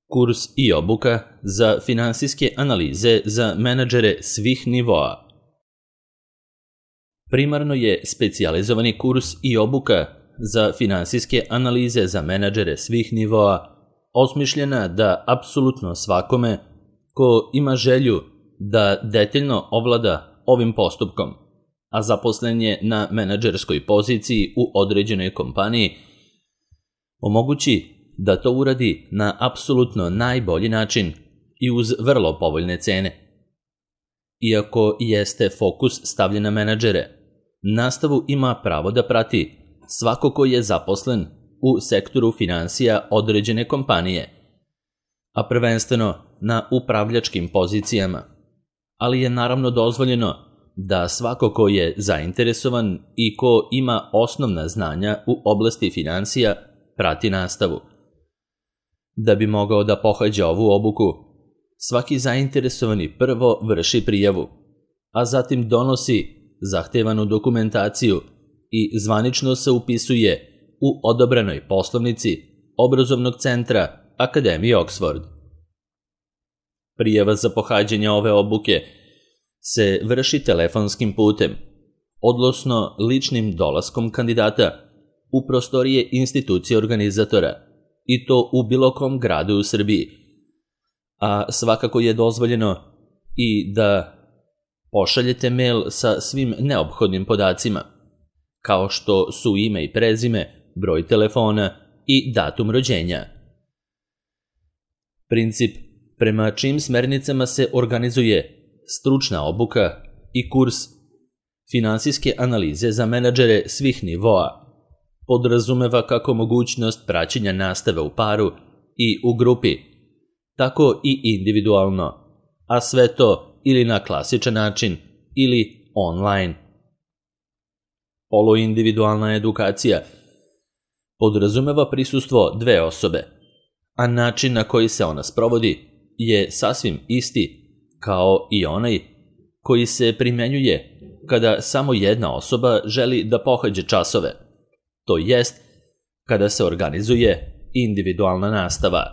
Kurs i obuka za finansijske analize za menadžere svih nivoa. Primarno je specijalizovani kurs i obuka za finansijske analize za menadžere svih nivoa osmišljena da apsolutno svakome ko ima želju da detaljno ovlada ovim postupkom, a zaposlen je na menadžerskoj poziciji u određenoj kompaniji, omogući da to uradi na apsolutno najbolji način i uz vrlo povoljne cene. Iako jeste fokus stavljen na menadžere, nastavu ima pravo da prati svako ko je zaposlen u sektoru finansija određene kompanije, a prvenstveno na upravljačkim pozicijama, ali je naravno dozvoljeno da svako ko je zainteresovan i ko ima osnovna znanja u oblasti finansija prati nastavu. Da bi mogao da pohađa ovu obuku, svaki zainteresovani prvo vrši prijavu, a zatim donosi zahtevanu dokumentaciju i zvanično se upisuje u odobrenoj poslovnici obrazovnog centra Akademije Oxford. Prijava za pohađanje ove obuke se vrši telefonskim putem, odnosno ličnim dolaskom kandidata u prostorije institucije organizatora, i to u bilo kom gradu u Srbiji, a svakako je dozvoljeno i da pošaljete mail sa svim neophodnim podacima, kao što su ime i prezime, broj telefona i datum rođenja. Princip prema čijim smernicama se organizuje stručna obuka i kurs finansijske analize za menadžere svih nivoa podrazumeva kako mogućnost praćenja nastave u paru i u grupi, tako i individualno, a sve to ili na klasičan način ili online. Poluindividualna edukacija podrazumeva prisustvo dve osobe, a način na koji se ona sprovodi je sasvim isti kao i onaj koji se primenjuje kada samo jedna osoba želi da pohađa časove, to jest kada se organizuje individualna nastava.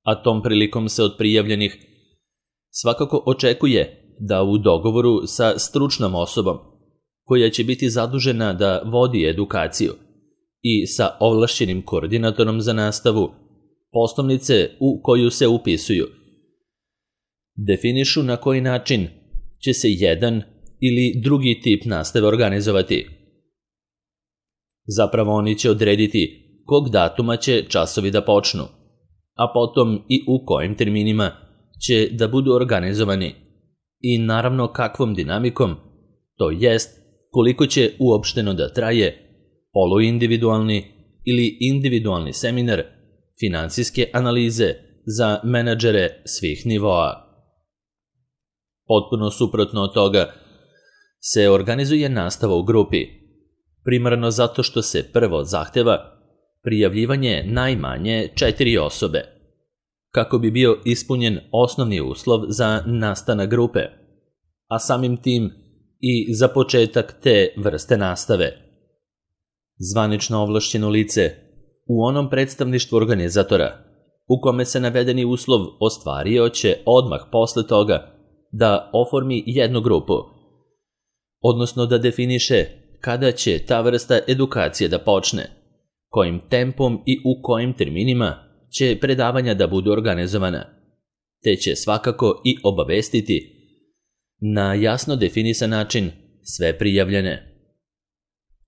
A tom prilikom se od prijavljenih svakako očekuje da u dogovoru sa stručnom osobom koja će biti zadužena da vodi edukaciju i sa ovlašćenim koordinatorom za nastavu poslovnice u koju se upisuju definišu na koji način će se jedan ili drugi tip nastave organizovati. Zapravo oni će odrediti kog datuma će časovi da počnu, a potom i u kojim terminima će da budu organizovani i naravno kakvom dinamikom, to jest koliko će uopšteno da traje poluindividualni ili individualni seminar finansijske analize za menadžere svih nivoa. Potpuno suprotno od toga se organizuje nastava u grupi, primarno zato što se prvo zahteva prijavljivanje najmanje 4 osobe, kako bi bio ispunjen osnovni uslov za nastanak grupe, a samim tim i za početak te vrste nastave. Zvanično ovlašćeno lice u onom predstavništvu organizatora u kome se navedeni uslov ostvario će odmah posle toga da oformi jednu grupu, odnosno da definiše kada će ta vrsta edukacije da počne, kojim tempom i u kojim terminima će predavanja da budu organizovana, te će svakako i obavestiti na jasno definisan način sve prijavljene.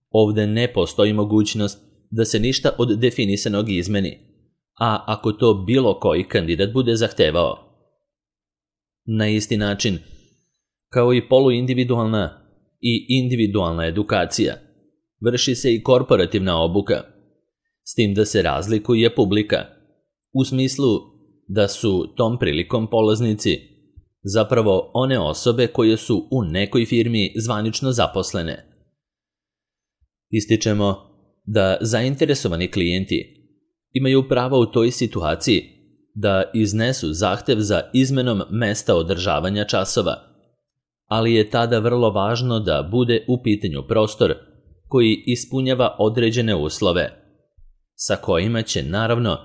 Ovde ne postoji mogućnost da se ništa od definisanog izmeni, a ako to bilo koji kandidat bude zahtevao. Na isti način, kao i poluindividualna i individualna edukacija, vrši se i korporativna obuka, s tim da se razlikuje publika, u smislu da su tom prilikom polaznici zapravo one osobe koje su u nekoj firmi zvanično zaposlene. Ističemo da zainteresovani klijenti imaju pravo u toj situaciji da iznesu zahtev za izmenom mesta održavanja časova, ali je tada vrlo važno da bude u pitanju prostor koji ispunjava određene uslove, sa kojima će naravno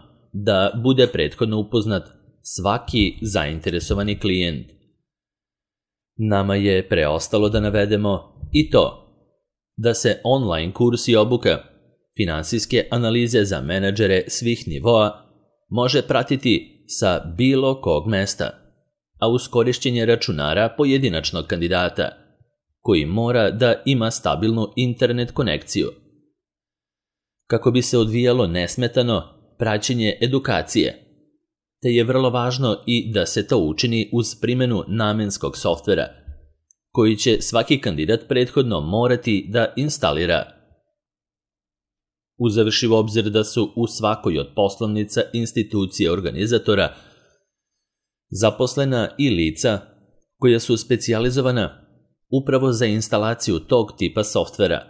da bude prethodno upoznat svaki zainteresovani klijent. Nama je preostalo da navedemo i to da se online kurs i obuka finansijske analize za menadžere svih nivoa može pratiti sa bilo kog mesta, a uz korišćenje računara pojedinačnog kandidata, koji mora da ima stabilnu internet konekciju. Kako bi se odvijalo nesmetano praćenje edukacije, te je vrlo važno i da se to učini uz primjenu namenskog softvera, koji će svaki kandidat prethodno morati da instalira. Uzevši u obzir da su u svakoj od poslovnica institucije organizatora zaposlena i lica koja su specijalizovana upravo za instalaciju tog tipa softvera.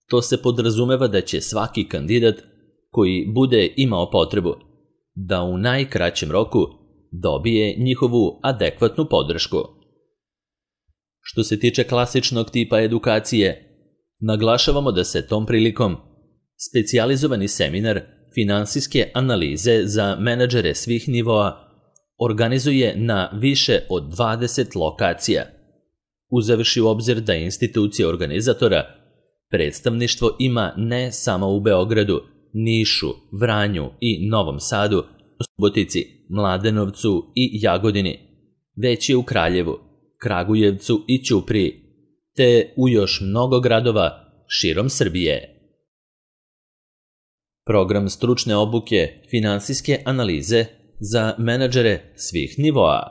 To se podrazumeva da će svaki kandidat koji bude imao potrebu da u najkraćem roku dobije njihovu adekvatnu podršku. Što se tiče klasičnog tipa edukacije, naglašavamo da se tom prilikom specijalizovani seminar finansijske analize za menadžere svih nivoa organizuje na više od 20 lokacija, uzevši u obzir da institucija organizatora predstavništvo ima ne samo u Beogradu, Nišu, Vranju i Novom Sadu, Subotici, Mladenovcu i Jagodini, već je u Kraljevu, Kragujevcu i Ćupriji, te u još mnogo gradova širom Srbije. Program stručne obuke finansijske analize za menadžere svih nivoa.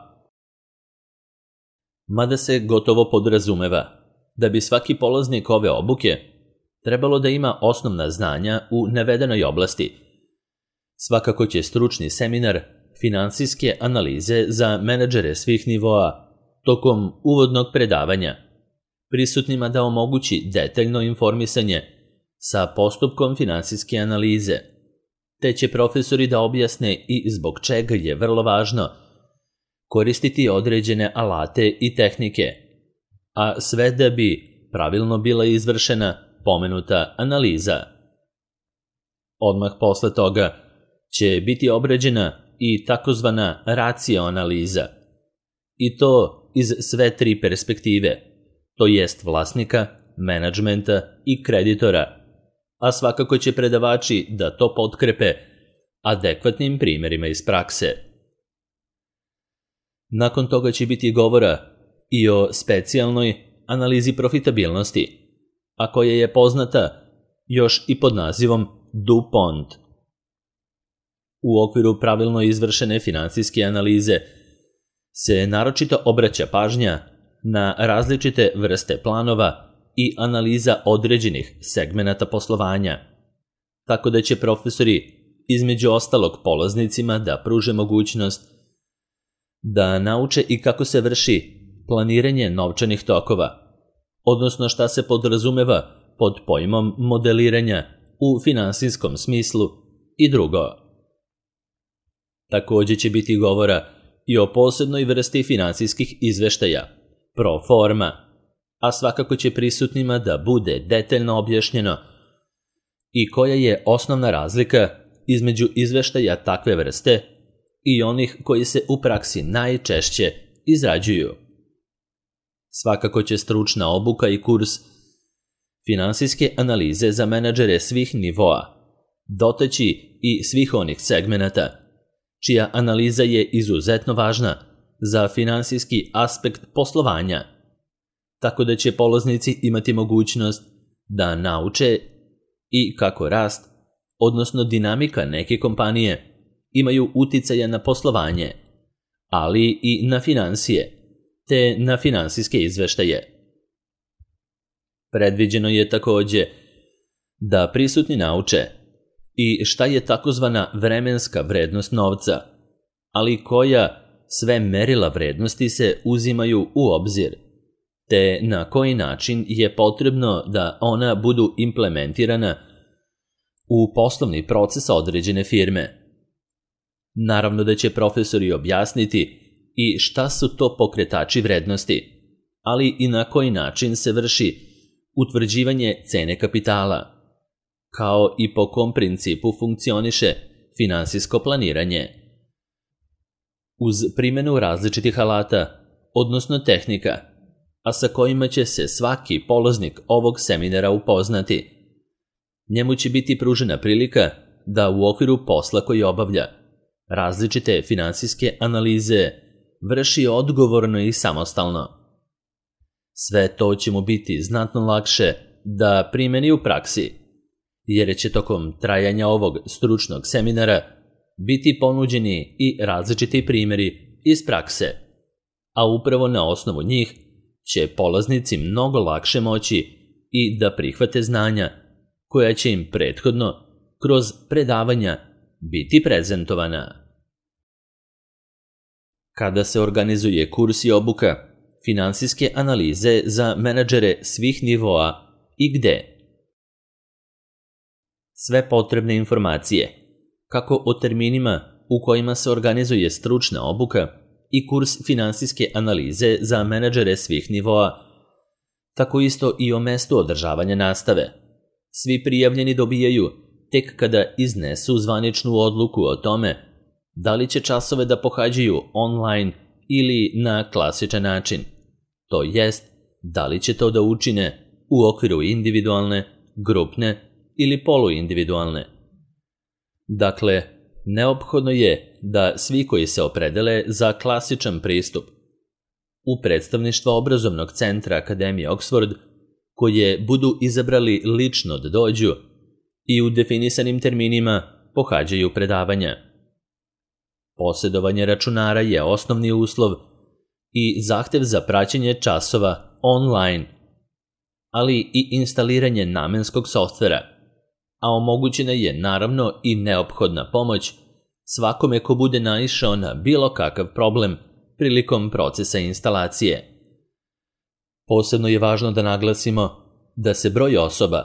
Mada se gotovo podrazumeva da bi svaki polaznik ove obuke trebalo da ima osnovna znanja u navedenoj oblasti, svakako će stručni seminar finansijske analize za menadžere svih nivoa tokom uvodnog predavanja prisutnima da omogući detaljno informisanje sa postupkom finansijske analize, te će profesori da objasne i zbog čega je vrlo važno koristiti određene alate i tehnike, a sve da bi pravilno bila izvršena pomenuta analiza. Odmah posle toga će biti obrađena i takozvana racio analiza, i to iz sve tri perspektive, to jest vlasnika, menadžmenta i kreditora, a svakako će predavači da to potkrepe adekvatnim primjerima iz prakse. Nakon toga će biti govora i o specijalnoj analizi profitabilnosti, a koja je poznata još i pod nazivom DuPont. U okviru pravilno izvršene finansijske analize se naročito obraća pažnja na različite vrste planova i analiza određenih segmenata poslovanja, tako da će profesori između ostalog polaznicima da pruže mogućnost da nauče i kako se vrši planiranje novčanih tokova, odnosno šta se podrazumeva pod pojmom modeliranja u finansijskom smislu i drugo. Također će biti govora i o posebnoj vrsti finansijskih izveštaja, pro forma, a svakako će prisutnima da bude detaljno objašnjeno i koja je osnovna razlika između izveštaja takve vrste i onih koji se u praksi najčešće izrađuju. Svakako će stručna obuka i kurs finansijske analize za menadžere svih nivoa dotaći i svih onih segmenata čija analiza je izuzetno važna za finansijski aspekt poslovanja, tako da će polaznici imati mogućnost da nauče i kako rast, odnosno dinamika neke kompanije, imaju uticaja na poslovanje, ali i na finansije, te na finansijske izveštaje. Predviđeno je također da prisutni nauče i šta je takozvana vremenska vrednost novca, ali koja sve merila vrednosti se uzimaju u obzir, te na koji način je potrebno da ona budu implementirana u poslovni proces određene firme. Naravno da će profesori objasniti i šta su to pokretači vrednosti, ali i na koji način se vrši utvrđivanje cene kapitala, kao i po kom principu funkcioniše finansijsko planiranje. Uz primjenu različitih alata, odnosno tehnika, a sa kojima će se svaki polaznik ovog seminara upoznati, njemu će biti pružena prilika da u okviru posla koji obavlja različite finansijske analize vrši odgovorno i samostalno. Sve to će mu biti znatno lakše da primeni u praksi, jer će tokom trajanja ovog stručnog seminara biti ponuđeni i različiti primjeri iz prakse, a upravo na osnovu njih će polaznici mnogo lakše moći i da prihvate znanja koja će im prethodno kroz predavanja biti prezentovana. Kada se organizuje kurs i obuka finansijske analize za menadžere svih nivoa i gde? Sve potrebne informacije, kako o terminima u kojima se organizuje stručna obuka i kurs finansijske analize za menadžere svih nivoa, tako isto i o mestu održavanja nastave, svi prijavljeni dobijaju tek kada iznesu zvaničnu odluku o tome da li će časove da pohađaju online ili na klasičan način, to jest da li će to da učine u okviru individualne, grupne ili poluindividualne. Dakle, neophodno je da svi koji se opredele za klasičan pristup u predstavništva obrazovnog centra Akademije Oxford, koje budu izabrali lično da dođu i u definisanim terminima pohađaju predavanja. Posjedovanje računara je osnovni uslov i zahtev za praćenje časova online, ali i instaliranje namenskog softvera, a omogućena je naravno i neophodna pomoć svakome ko bude naišao na bilo kakav problem prilikom procesa instalacije. Posebno je važno da naglasimo da se broj osoba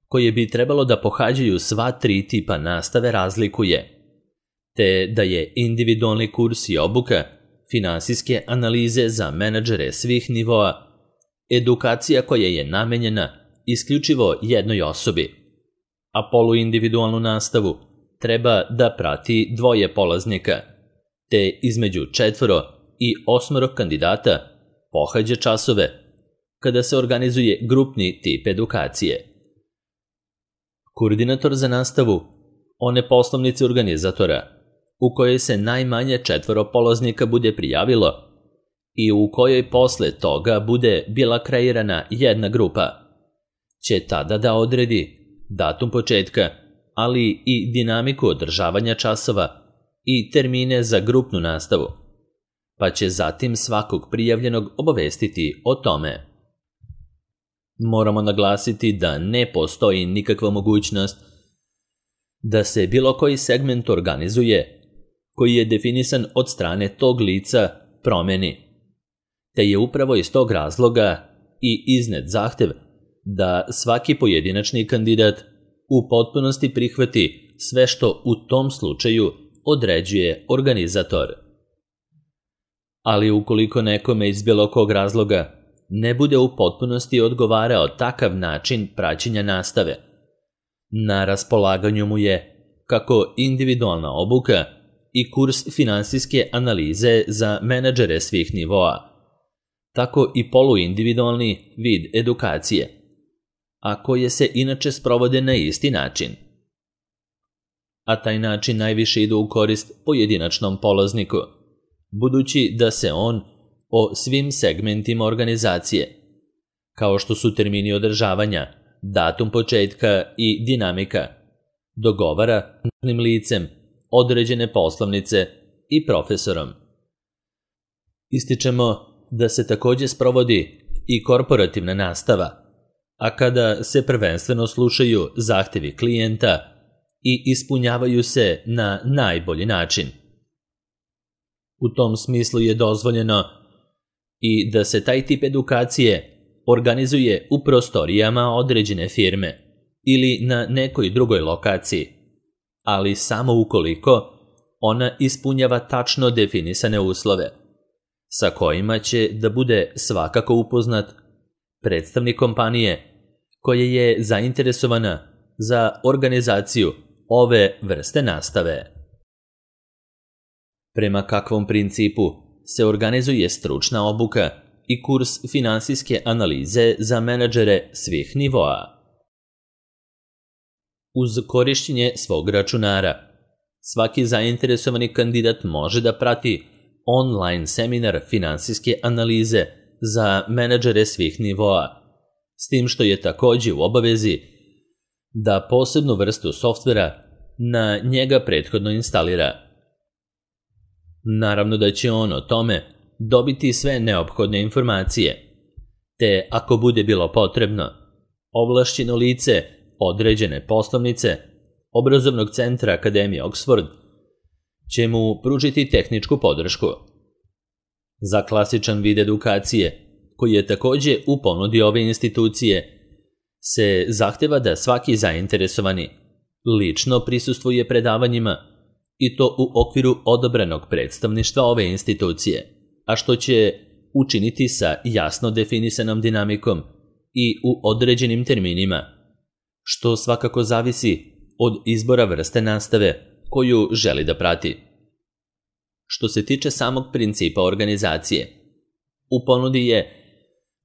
koje bi trebalo da pohađaju sva 3 tipa nastave razlikuje, te da je individualni kurs i obuka finansijske analize za menadžere svih nivoa edukacija koja je namenjena isključivo jednoj osobi, a poluindividualnu nastavu treba da prati 2 polaznika, te između 4 i 8 kandidata pohađa časove kada se organizuje grupni tip edukacije. Koordinator za nastavu one poslovnice organizatora u kojoj se najmanje 4 polaznika bude prijavilo i u kojoj posle toga bude bila kreirana jedna grupa, će tada da odredi datum početka, ali i dinamiku održavanja časova i termine za grupnu nastavu, pa će zatim svakog prijavljenog obavestiti o tome. Moramo naglasiti da ne postoji nikakva mogućnost da se bilo koji segment organizuje koji je definisan od strane tog lica promeni, te je upravo iz tog razloga i iznet zahtev da svaki pojedinačni kandidat u potpunosti prihvati sve što u tom slučaju određuje organizator. Ali ukoliko nekome iz bilo kog razloga ne bude u potpunosti odgovarao takav način praćenja nastave, na raspolaganju mu je kako individualna obuka i kurs finansijske analize za menadžere svih nivoa, tako i poluindividualni vid edukacije, a koje se inače sprovode na isti način. A taj način najviše ide u korist pojedinačnom polazniku, budući da se on o svim segmentima organizacije, kao što su termini održavanja, datum početka i dinamika, dogovara s licem, određene poslovnice i profesorom. Ističemo da se također sprovodi i korporativna nastava, a kada se prvenstveno slušaju zahtevi klijenta i ispunjavaju se na najbolji način. U tom smislu je dozvoljeno i da se taj tip edukacije organizuje u prostorijama određene firme ili na nekoj drugoj lokaciji, ali samo ukoliko ona ispunjava tačno definisane uslove, sa kojima će da bude svakako upoznat predstavnik kompanije koja je zainteresovana za organizaciju ove vrste nastave. Prema kakvom principu se organizuje stručna obuka i kurs finansijske analize za menadžere svih nivoa? Uz korišćenje svog računara, svaki zainteresovani kandidat može da prati online seminar finansijske analize za menadžere svih nivoa, s tim što je takođe u obavezi da posebnu vrstu softvera na njega prethodno instalira. Naravno da će on o tome dobiti sve neophodne informacije, te ako bude bilo potrebno, ovlašćeno lice određene poslovnice obrazovnog centra Akademije Oxford će mu pružiti tehničku podršku. Za klasičan vid edukacije, koji je takođe u ponudi ove institucije, se zahteva da svaki zainteresovani lično prisustvuje predavanjima i to u okviru odabranog predstavništva ove institucije, a što će učiniti sa jasno definisanom dinamikom i u određenim terminima, što svakako zavisi od izbora vrste nastave koju želi da prati. Što se tiče samog principa organizacije, u ponudi je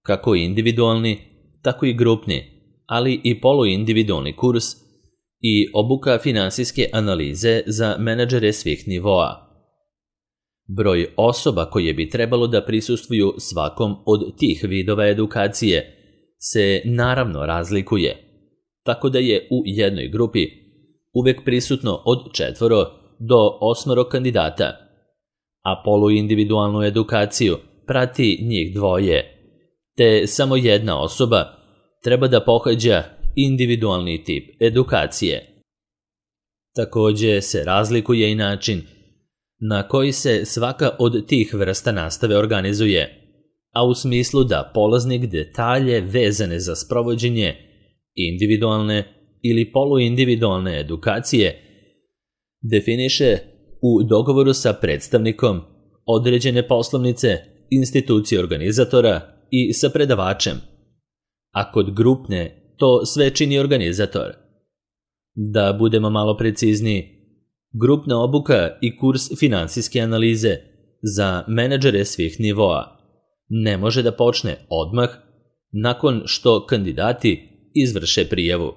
kako individualni, tako i grupni, ali i poluindividualni kurs i obuka finansijske analize za menadžere svih nivoa. Broj osoba koje bi trebalo da prisustvuju svakom od tih vidova edukacije se naravno razlikuje, tako da je u jednoj grupi uvek prisutno od 4 do 8 kandidata, a poluindividualnu edukaciju prati njih 2, te samo jedna osoba treba da pohađa individualni tip edukacije. Takođe se razlikuje i način na koji se svaka od tih vrsta nastave organizuje, a u smislu da polaznik detalje vezane za sprovođenje individualne ili poluindividualne edukacije definiše u dogovoru sa predstavnikom određene poslovnice, institucije organizatora i sa predavačem, a kod grupne to sve čini organizator. Da budemo malo precizniji, grupna obuka i kurs finansijske analize za menadžere svih nivoa ne može da počne odmah nakon što kandidati izvrše prijavu,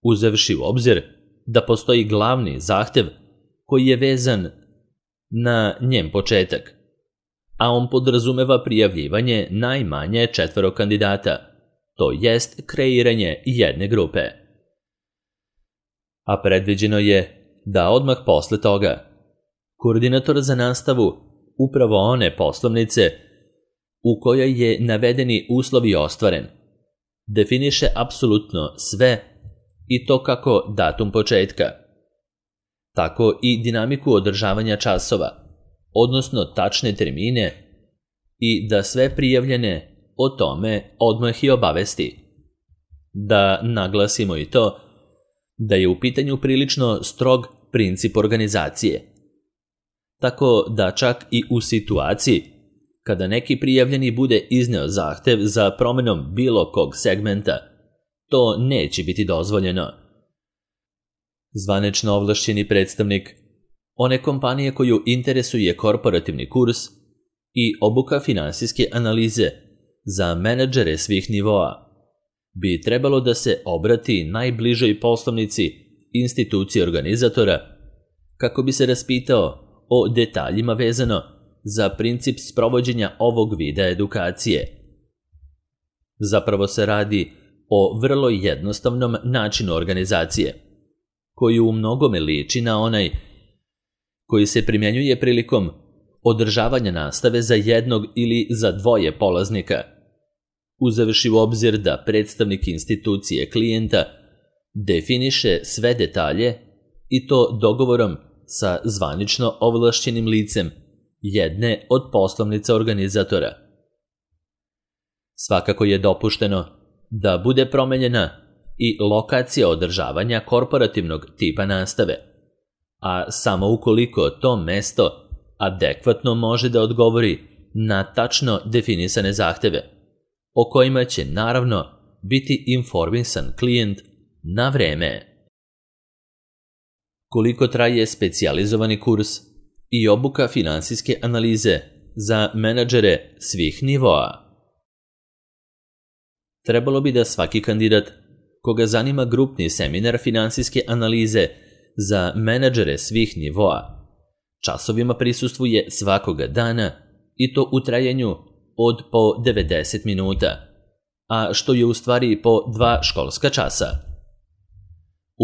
uzevši u obzir da postoji glavni zahtev koji je vezan na njen početak, a on podrazumeva prijavljivanje najmanje 4 kandidata, to jest kreiranje jedne grupe. A predviđeno je da odmah posle toga koordinator za nastavu upravo one poslovnice u kojoj je navedeni uslovi ostvaren definiše apsolutno sve i to kako datum početka, tako i dinamiku održavanja časova, odnosno tačne termine i da sve prijavljene o tome odmah i obavesti. Da naglasimo i to da je u pitanju prilično strog princip organizacije, tako da čak i u situaciji kada neki prijavljeni bude izneo zahtev za promenom bilo kog segmenta, to neće biti dozvoljeno. Zvanično ovlašćeni predstavnik one kompanije koju interesuje korporativni kurs i obuka finansijske analize za menadžere svih nivoa bi trebalo da se obrati najbližoj poslovnici institucije organizatora kako bi se raspitao o detaljima vezano za princip sprovođenja ovog vida edukacije. Zapravo se radi o vrlo jednostavnom načinu organizacije, koji u mnogome liči na onaj koji se primjenjuje prilikom održavanja nastave za jednog ili za 2 polaznika, uzevši u obzir da predstavnik institucije klijenta definiše sve detalje i to dogovorom sa zvanično ovlašćenim licem jedne od poslovnica organizatora. Svakako je dopušteno da bude promenjena i lokacija održavanja korporativnog tipa nastave, a samo ukoliko to mesto adekvatno može da odgovori na tačno definisane zahteve, o kojima će naravno biti informisan klijent na vreme. koliko traje specijalizovani kurs i obuka finansijske analize za menadžere svih nivoa. Trebalo bi da svaki kandidat koga zanima grupni seminar finansijske analize za menadžere svih nivoa časovima prisustvuje svakoga dana i to u trajanju od po 90 minuta, a što je u stvari po 2 školska časa.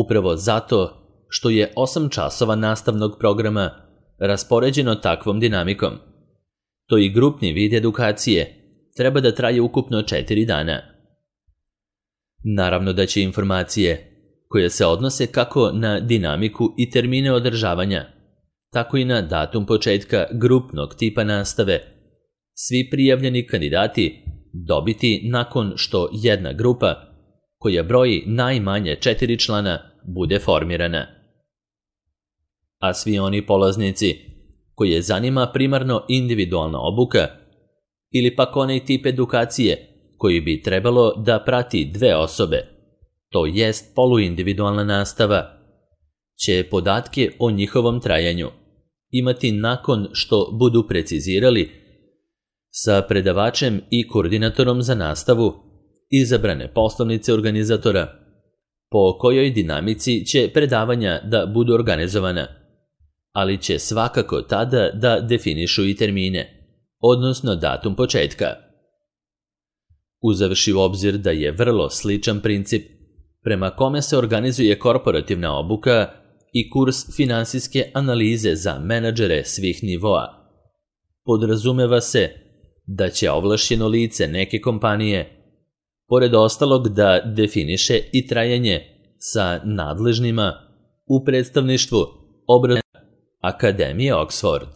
Upravo zato što je 8 časova nastavnog programa raspoređeno takvom dinamikom, to i grupni vid edukacije treba da traje ukupno 4 dana. Naravno da će informacije koje se odnose kako na dinamiku i termine održavanja, tako i na datum početka grupnog tipa nastave, svi prijavljeni kandidati dobiti nakon što jedna grupa, koja broji najmanje 4 člana, bude formirana. A svi oni polaznici koje zanima primarno individualna obuka ili pak onaj tip edukacije koji bi trebalo da prati 2 osobe, to jest poluindividualna nastava, će podatke o njihovom trajanju imati nakon što budu precizirali sa predavačem i koordinatorom za nastavu izabrane poslovnice organizatora po kojoj dinamici će predavanja da budu organizovana, ali će svakako tada da definišu i termine, odnosno datum početka. Uzevši u obzir da je vrlo sličan princip prema kome se organizuje korporativna obuka i kurs finansijske analize za menadžere svih nivoa, podrazumeva se da će ovlašćeno lice neke kompanije, pored ostalog, da definiše i trajanje sa nadležnima u predstavništvu obrazovanja Akademije Oxford.